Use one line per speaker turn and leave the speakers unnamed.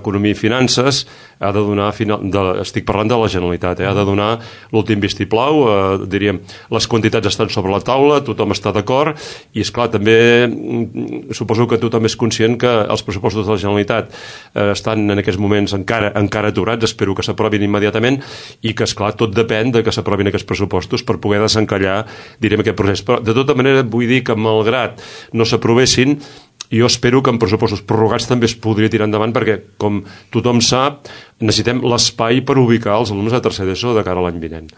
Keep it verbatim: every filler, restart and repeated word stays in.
Economia i Finances ha de donar, de, estic parlant de la Generalitat, eh, ha de donar l'últim vistiplau, eh, diríem, les quantitats estan sobre la taula, tothom està d'acord, i esclar, també suposo que tothom és conscient que els pressupostos de la Generalitat eh, estan en aquests moments encara, encara aturats, espero que s'aprovin immediatament, i que esclar, tot depèn de que s'aprovin aquests pressupostos per poder desencallar, diríem, aquest procés. Però de tota manera vull dir que malgrat no s'aprovessin, jo espero que en pressupostos prorrogats també es podria tirar endavant perquè, com tothom sap, necessitem l'espai per ubicar els alumnes de tercer d'ESO de cara a l'any vinent.